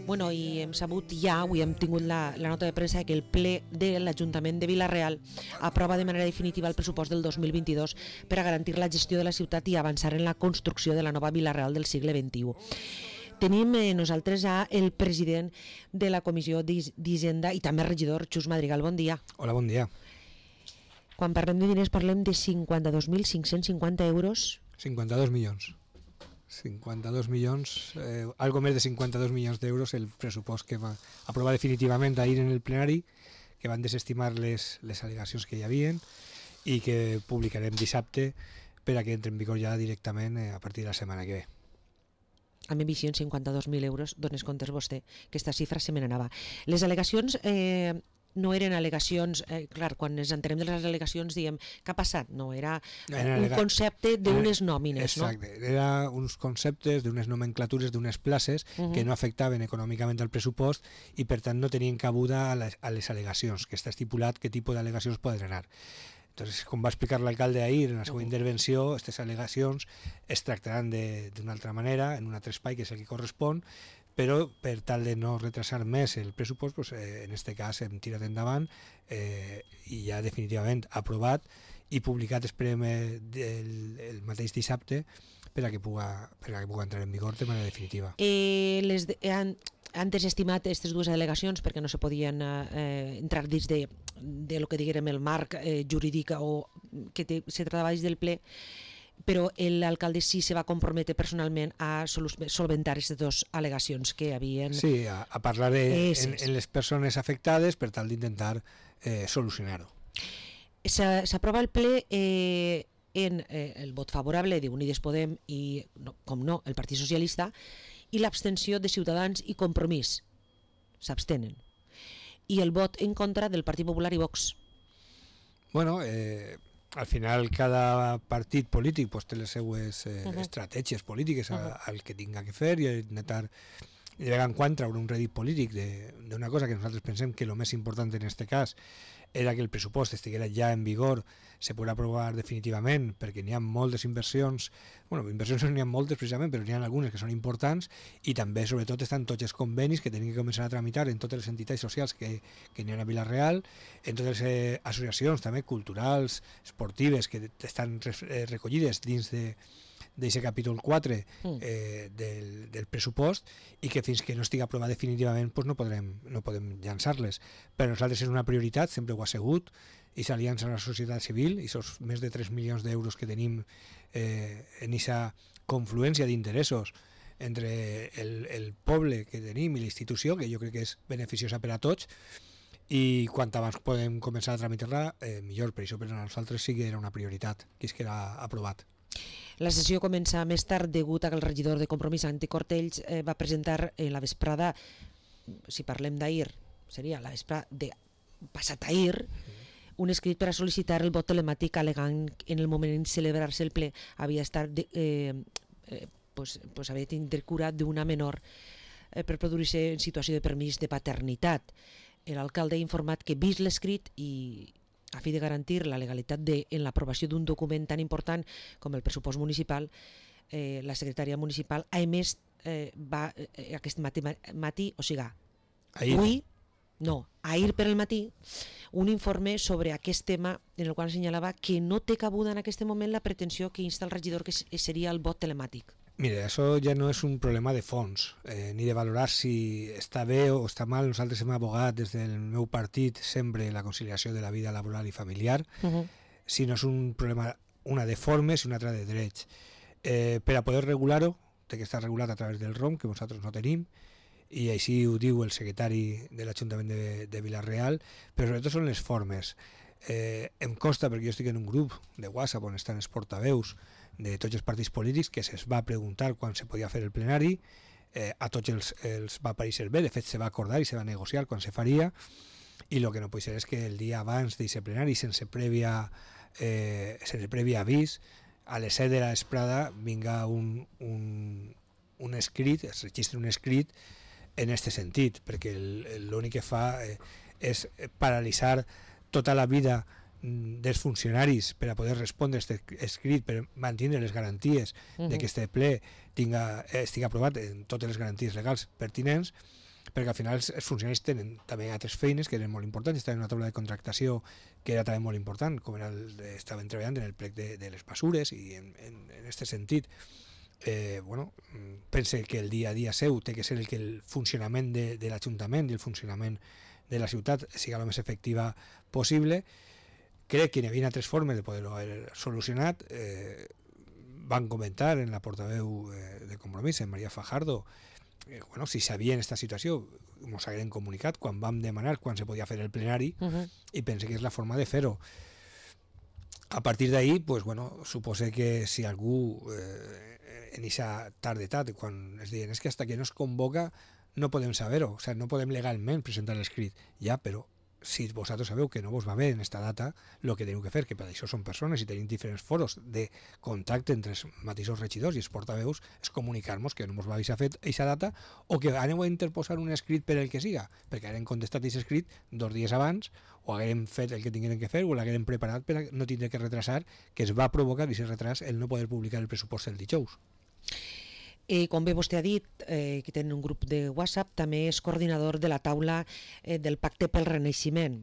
Bueno, i hem sabut ja, avui hem tingut la nota de premsa que el ple de l'Ajuntament de Vila-real aprova de manera definitiva el pressupost del 2022 per a garantir la gestió de la ciutat i avançar en la construcció de la nova Vila-real del segle XXI. Tenim nosaltres el president de la Comissió d'Hisenda i també regidor, Xus Madrigal. Bon dia. Hola, bon dia. Quan parlem de diners parlem de 52.550 euros. 52 milions. 52 milions, algo més de 52 milions d'euros el pressupost que va aprovar definitivament ahir en el plenari, que van desestimar les al·legacions que hi havien i que publicarem dissabte per a que entre en vigor ja directament a partir de la setmana que ve. A mi visió en 52.000 euros, dones comptes vostè, que aquesta xifra se me n'anava. Les al·legacions no eren al·legacions, clar, quan ens entenem de les al·legacions diem què ha passat, no, era un concepte d'unes nòmines. Exacte, no? Era uns conceptes d'unes nomenclatures d'unes places que no afectaven econòmicament al pressupost i per tant no tenien cabuda a les al·legacions, que està estipulat què tipus d'al·legacions poden anar. Entonces, com va explicar l'alcalde ahir en la seva intervenció, aquestes al·legacions es tractaran d'una altra manera, en un altre espai que és el que correspon, però per tal de no retrasar més el pressupost, pues, en aquest cas hem tirat endavant i ja definitivament aprovat i publicat, esperem, el mateix dissabte per a que puga entrar en vigor de manera definitiva. Han desestimat aquestes dues al·legacions perquè no se podien entrar dins de lo que diguérem el marc jurídic o que se tractava dins del ple, però l'alcalde sí se va comprometre personalment a solventar aquestes dues al·legacions que havien... Sí, a parlar en les persones afectades per tal d'intentar solucionar-ho. S'aprova el ple en el vot favorable d'Unides Podem i, com no, el Partit Socialista, i l'abstenció de Ciutadans i Compromís. S'abstenen. I el vot en contra del Partit Popular i Vox. Bueno, al final cada partit polític pues, té les seues estratègies polítiques al que tinga que fer i intentar de vegades en quan treure un rèdit polític d'una cosa que nosaltres pensem que el més important en aquest cas era que el pressupost estiguera ja en vigor, se podrà aprovar definitivament perquè n'hi ha moltes inversions, inversions no n'hi ha moltes precisament, però n'hi ha algunes que són importants i també sobretot estan tots els convenis que tenim que començar a tramitar en totes les entitats socials que n'hi ha a Vila-real, en totes les associacions també culturals, esportives que estan recollides dins d'aquest capítol 4 del pressupost i que fins que no estigui aprovat definitivament pues no podem llançar-les. Per nosaltres és una prioritat, sempre ho ha sigut, i s'aliança a la societat civil i els més de 3 milions d'euros que tenim en aquesta confluència d'interessos entre el poble que tenim i la institució, que jo crec que és beneficiosa per a tots, i quan abans podem començar a tramitar-la millor. Per això per a nosaltres sí que era una prioritat que es queda aprovat. La sessió comença més tard degut a que el regidor de Compromís, Santi Cortells, va presentar la vesprada, si parlem d'ahir, seria la vesprada de passat ahir, un escrit per a sol·licitar el vot telemàtic al·legant en el moment en celebrar-se el ple havia estat havia tindre cura d'una menor per produir-se en situació de permís de paternitat. L'alcalde ha informat que vist l'escrit i a fi de garantir la legalitat en l'aprovació d'un document tan important com el pressupost municipal, la secretària municipal ha emès aquest matí, o sigui, ahir per al matí, un informe sobre aquest tema en el qual assenyalava que no té cabuda en aquest moment la pretensió que insta el regidor que seria el vot telemàtic. Mira, això ja no és un problema de fons, ni de valorar si està bé o està mal. Nosaltres hem abogat des del meu partit sempre la conciliació de la vida laboral i familiar, sinó és un problema, una de formes i una altra de drets. Per a poder regular-ho, té que estar regulat a través del ROM, que nosaltres no tenim, i així ho diu el secretari de l'Ajuntament de Vila-real, però sobretot són les formes. Em costa, perquè jo estic en un grup de WhatsApp on estan els portaveus de tots els partits polítics, que se'ls va preguntar quan se podia fer el plenari, a tots els va pareixer bé, de fet se va acordar i se va negociar quan se faria, i el que no pot ser és que el dia abans d'aquest plenari, sense previ avís, a les 7 de la vesprada vinga un escrit, es registra un escrit en aquest sentit, perquè l'únic que fa és paralitzar tota la vida dels funcionaris per a poder respondre a aquest escrit, per mantenir les garanties de que este ple estigui aprovat en totes les garanties legals pertinents, perquè al final els funcionaris tenen també altres feines que eren molt importants, estaven en una taula de contractació que era també molt important, com estaven treballant en el plec de les mesures, i en aquest sentit pense que el dia a dia seu té que ser el que el funcionament de l'Ajuntament i el funcionament de la ciutat siga el més efectiva possible. Crec que hi havia altres formes de poder-ho haver solucionat. Van comentar en la portaveu de Compromís, en Maria Fajardo, si sabien aquesta situació, ens hagueren comunicat quan vam demanar quan se podia fer el plenari, i pense que és la forma de fer-ho. A partir d'ahí, supose que si algú en aquesta tardetat, quan es diuen que hasta que no es convoca no podem saber-ho, o sigui, no podem legalment presentar l'escrit, ja, però si vosaltres sabeu que no vos va bé en aquesta data, el que teniu que fer, que per això són persones i tenim diferents foros de contacte entre els mateixos regidors i els portaveus, és comunicar-nos que no vos va haver fet aquesta data, o que aneu a interposar un escrit per el que siga, perquè haguem contestat aquest escrit 2 dies abans, o haguem fet el que tinguem que fer, o l'haguem preparat per no tindre que retrasar, que es va provocar aquest retras el no poder publicar el pressupost el dijous. Com bé vostè ha dit, que tenen un grup de WhatsApp, també és coordinador de la taula del Pacte pel Renaixement.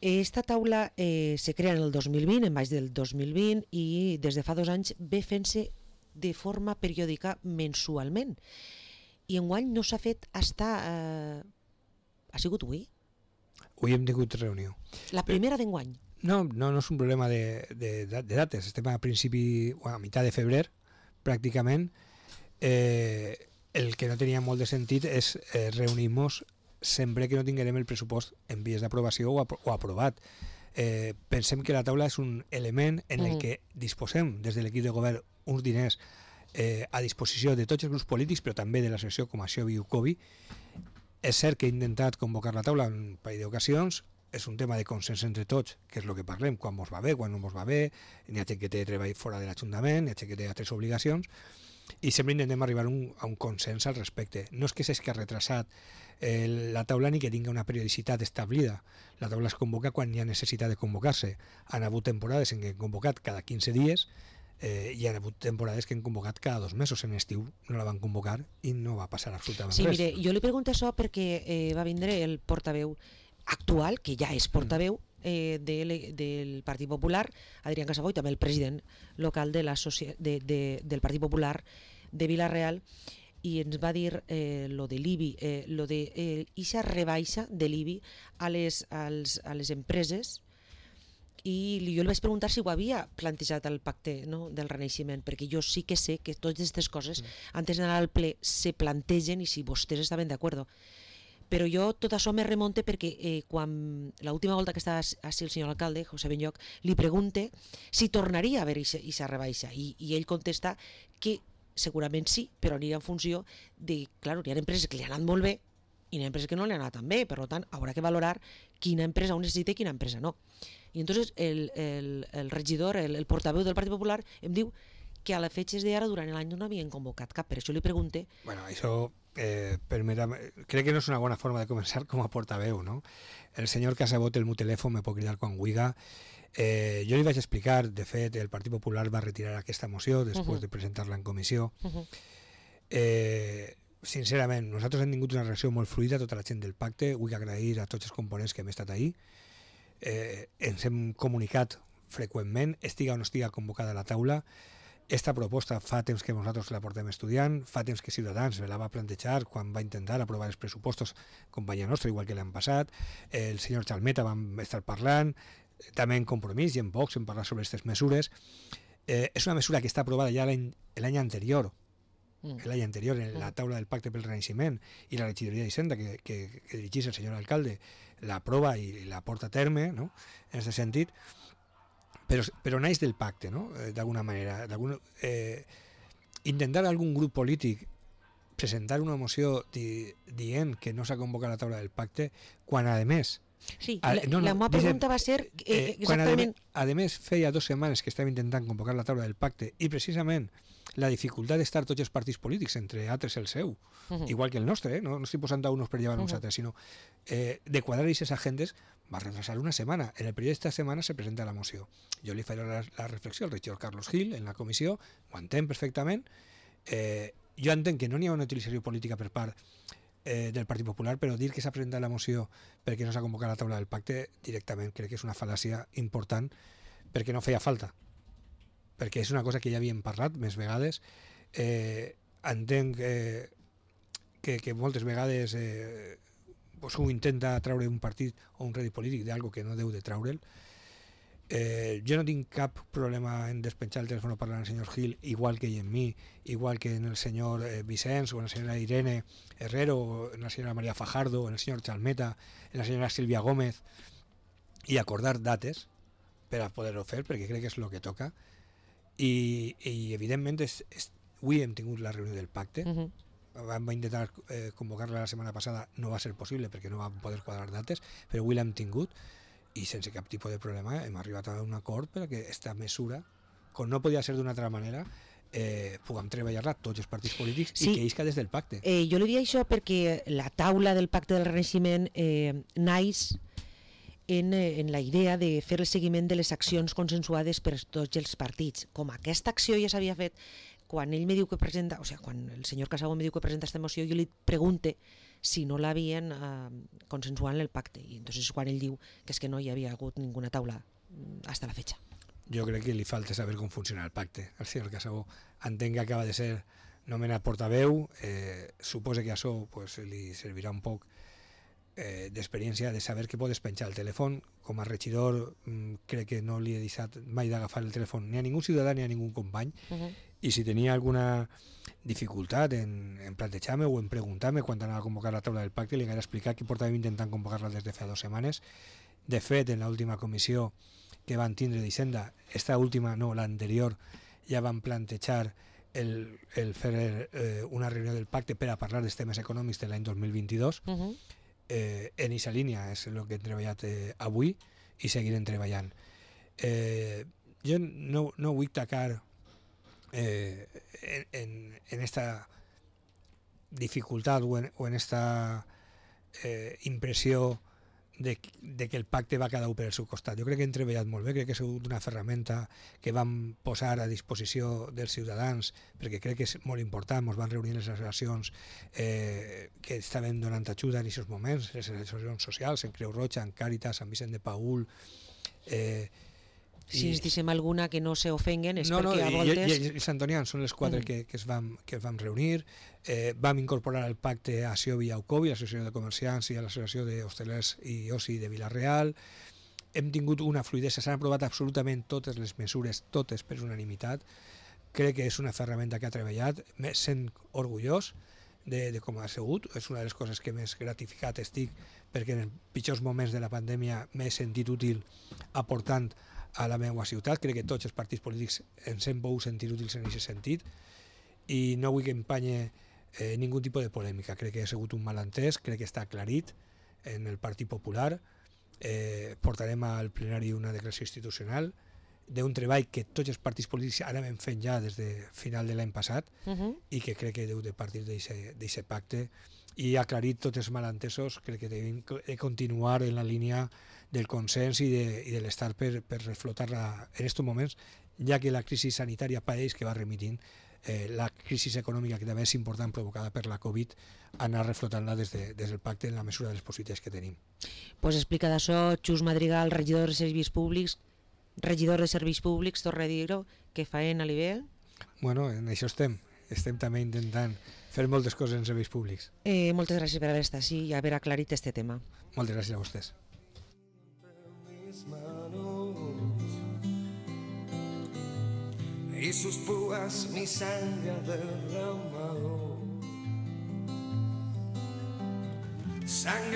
Esta taula se crea en el 2020, en maig del 2020, i des de fa 2 anys ve fent-se de forma periòdica mensualment. I enguany no s'ha fet hasta... Ha sigut avui? Avui hem tingut reunió. La primera d'enguany? No és un problema de dates. Estem a principi, a meitat de febrer, pràcticament. El que no tenia molt de sentit és reunir-nos sempre que no tinguem el pressupost en vies d'aprovació o aprovat. Pensem que la taula és un element en el que disposem des de l'equip de govern uns diners a disposició de tots els grups polítics, però també de l'associació com Acció Viucovi. És cert que he intentat convocar la taula en un parell d'ocasions, és un tema de consens entre tots, que és el que parlem, quan mos va bé, quan no mos va bé, n'hi ha gent que té treball fora de l'Ajuntament, n'hi ha gent que té altres obligacions, i sempre intentem arribar a un consens al respecte. No és que s'hagi retrasat la taula ni que tingui una periodicitat establida. La taula es convoca quan hi ha necessitat de convocar-se. Han hagut temporades en què hem convocat cada 15 dies i han hagut temporades que hem convocat cada 2 mesos. En estiu no la van convocar i no va passar absolutament res. Sí, mire, jo li pregunto això perquè va vindre el portaveu actual, que ja és portaveu, del Partit Popular, Adrián Casabó, i també el president local del Partit Popular de Vila-real, i ens va dir lo de l'IBI, lo de ixa rebaixa de l'IBI a les empreses, i jo li vaig preguntar si ho havia plantejat el pacte, no, del Renaixement, perquè jo sí que sé que totes aquestes coses antes d'anar al ple se plantegen i si vostès estaven d'acord. Però jo tot això me remonte perquè quan l'última volta que estava així el senyor alcalde, José Benlloc, li pregunte si tornaria a haver aquesta rebaixa, i ell contesta que segurament sí, però aniria en funció de, clar, hi ha empreses que li han anat molt bé i hi ha empreses que no li han anat tan bé, per tant haurà que valorar quina empresa ho necessita i quina empresa no. I entonces el regidor, el portaveu del Partit Popular em diu que a la fetges d'ara durant l'any no havien convocat cap, per això li pregunte. Bueno, això crec que no és una bona forma de començar com a portaveu, no? El senyor Casabó té el meu telèfon, me pot cridar quan vulgui. Jo li vaig explicar, de fet, el Partit Popular va retirar aquesta moció després de presentar-la en comissió. Sincerament, nosaltres hem tingut una reacció molt fluida a tota la gent del pacte. Vull agrair a tots els components que hem estat ahí. Ens hem comunicat freqüentment, estiga o no estiga convocada a la taula. Esta proposta fa temps que nosaltres la portem estudiant, fa temps que Ciutadans la va plantejar quan va intentar aprovar els pressupostos, companyia nostra, igual que l'han passat. El senyor Chalmeta vam estar parlant, també en Compromís i en Vox hem parlat sobre aquestes mesures. És una mesura que està aprovada ja l'any anterior, en la taula del Pacte pel Renaixement, i la regidoria d'Hisenda que dirigís el senyor alcalde l'aprova i la porta a terme, no? En aquest sentit. Però naix del pacte, no? D'alguna manera. Intentar algun grup polític presentar una moció dient que no s'ha convocat la taula del pacte, quan a més... Sí, la meva pregunta va ser exactament... Quan a més feia 2 setmanes que estàvem intentant convocar la taula del pacte i precisament la dificultat d'estar tots els partits polítics, entre altres el seu, igual que el nostre, no estic posant a uns per llevar uns altres, sinó de quadrar aquestes agendes, va retrasar una setmana. En el període d'esta setmana se presenta la moció. Jo li faré la reflexió al regidor Carlos Gil en la comissió, ho entenc perfectament. Jo entenc que no n'hi ha una utilització política per part del Partit Popular, però dir que s'ha presentat la moció perquè no s'ha convocat la taula del pacte directament crec que és una fal·làcia important, perquè no feia falta, perquè és una cosa que ja havíem parlat més vegades. Entenc que moltes vegades ho intenta treure un partit o un rèdit polític d'algo que no deu de treure'l. Jo no tinc cap problema en despenjar el telèfon o parlar amb el senyor Gil, igual que ell en mi, igual que en el senyor Vicenç o en la senyora Irene Herrero, o en la senyora María Fajardo, o en el senyor Chalmeta, en la senyora Silvia Gómez, i acordar dates per a poder-ho fer, perquè crec que és el que toca. I evidentment avui hem tingut la reunió del pacte. Vam intentar convocar-la la setmana passada, no va ser possible perquè no vam poder quadrar dates, però avui l'hem tingut i sense cap tipus de problema hem arribat a un acord perquè aquesta mesura, com no podia ser d'una altra manera, puguem treballar-la tots els partits polítics i que isca des del pacte. Jo li diria això perquè la taula del pacte del Renaixement naix en la idea de fer el seguiment de les accions consensuades per tots els partits. Com aquesta acció ja s'havia fet quan ell me diu que presenta, o sigui, quan el senyor Casabo me diu que presenta aquesta moció, jo li pregunte si no l'havien consensuat en el pacte, i entonces és quan ell diu que és que no hi havia hagut ninguna taula hasta la fecha. Jo crec que li falta saber com funciona el pacte. El senyor Casabo entenc que acaba de ser nomenat portaveu, suposa que això pues, li servirà un poc d'experiència de saber que pot despenjar el telèfon. Com a regidor crec que no li he deixat mai d'agafar el telèfon ni a ningú ciutadà ni a ningú company, i si tenia alguna dificultat en plantejar-me o en preguntar-me quan anava a convocar la taula del pacte, li hagués explicat que portàvem intentant convocar-la des de fa 2 setmanes. De fet, en l'última comissió que van tindre d'Hisenda, esta última no, l'anterior, ja van plantejar el fer una reunió del pacte per a parlar dels temes econòmics de l'any 2022. En aquesta línia és el que hem treballat avui i seguirem treballant. Jo no vull tacar en esta dificultat o en esta impressió de que el pacte va cada un per el seu costat. Jo crec que hem treballat molt bé, crec que ha sigut una ferramenta que vam posar a disposició dels ciutadans, perquè crec que és molt important. Ens van reunir les associacions que estaven donant ajuda en aquests moments, les associacions socials, en Creu Roja, en Càritas, en Vicent de Paül. Si ens dicem alguna que no s'ofenguen és perquè a voltes... I Sant Antonians són les 4 que es vam reunir. Vam incorporar al pacte a Siobi i a Ucobi, l'Associació de Comerciants i a l'Associació d'Hostelers i Oci de Vila-real. Hem tingut una fluïdesa, s'han aprovat absolutament totes les mesures, totes per unanimitat. Crec que és una ferramenta que ha treballat, sent orgullós de com ha sigut. És una de les coses que més gratificat estic, perquè en els pitjors moments de la pandèmia m'he sentit útil aportant a la meva ciutat. Crec que tots els partits polítics ens hem pogut sentir útils en aquest sentit i no vull que empanye ningú tipus de polèmica. Crec que ha sigut un malentès, crec que està aclarit en el Partit Popular. Portarem al plenari una declaració institucional d'un treball que tots els partits polítics ara hem fet ja des de final de l'any passat i que crec que deu de partir d'aquest pacte i aclarit tots els malentesos. Crec que devem continuar en la línia del consens i de l'estar per reflotar-la en aquests moments, ja que la crisi sanitària pareix que va remitint, la crisi econòmica, que també és important, provocada per la Covid, anar reflotant-la des del pacte en la mesura de les possibilitats que tenim. Pues explicat això, Xus Madrigal, regidor de Serveis Públics, torna a dir-ho, que faena li ve? Bueno, en això estem també intentant fer moltes coses en serveis públics. Moltes gràcies per haver estat així i haver aclarit este tema. Moltes gràcies a vostès. Y sus púas mi sangre ha derramado, sangre